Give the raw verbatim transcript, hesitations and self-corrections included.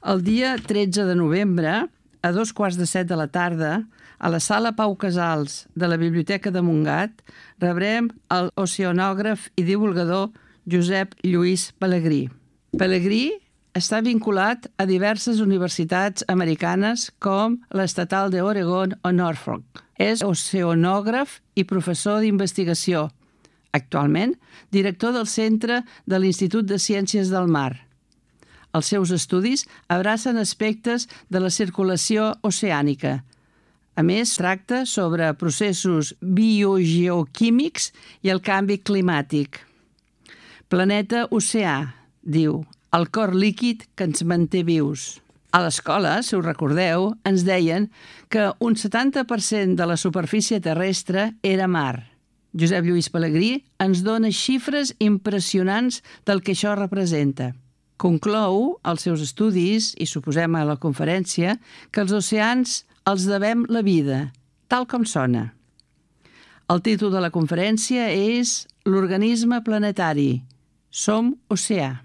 El dia tretze de novembre, a dos quarts de set de la tarda, a la sala Pau Casals de la Biblioteca de Montgat, rebrem el oceanògraf i divulgador Josep Lluís Pelegrí. Pelegrí està vinculat a diverses universitats americanes com l'Estatal d'Oregon o Norfolk. És oceanògraf i professor d'investigació. Actualment, director del Centre de l'Institut de Ciències del Mar. Els seus estudis abracen aspectes de la circulació oceànica. A més, tracta sobre processos biogeoquímics i el canvi climàtic. Planeta oceà, diu, el cor líquid que ens manté vius. A l'escola, si us recordeu, ens deien que un setanta per cent de la superfície terrestre era mar. Josep Lluís Pelegrí ens dona xifres impressionants del que això representa. Conclou els seus estudis, i suposem a la conferència, que els oceans els devem la vida, tal com sona. El títol de la conferència és L'organisme planetari. Som oceà.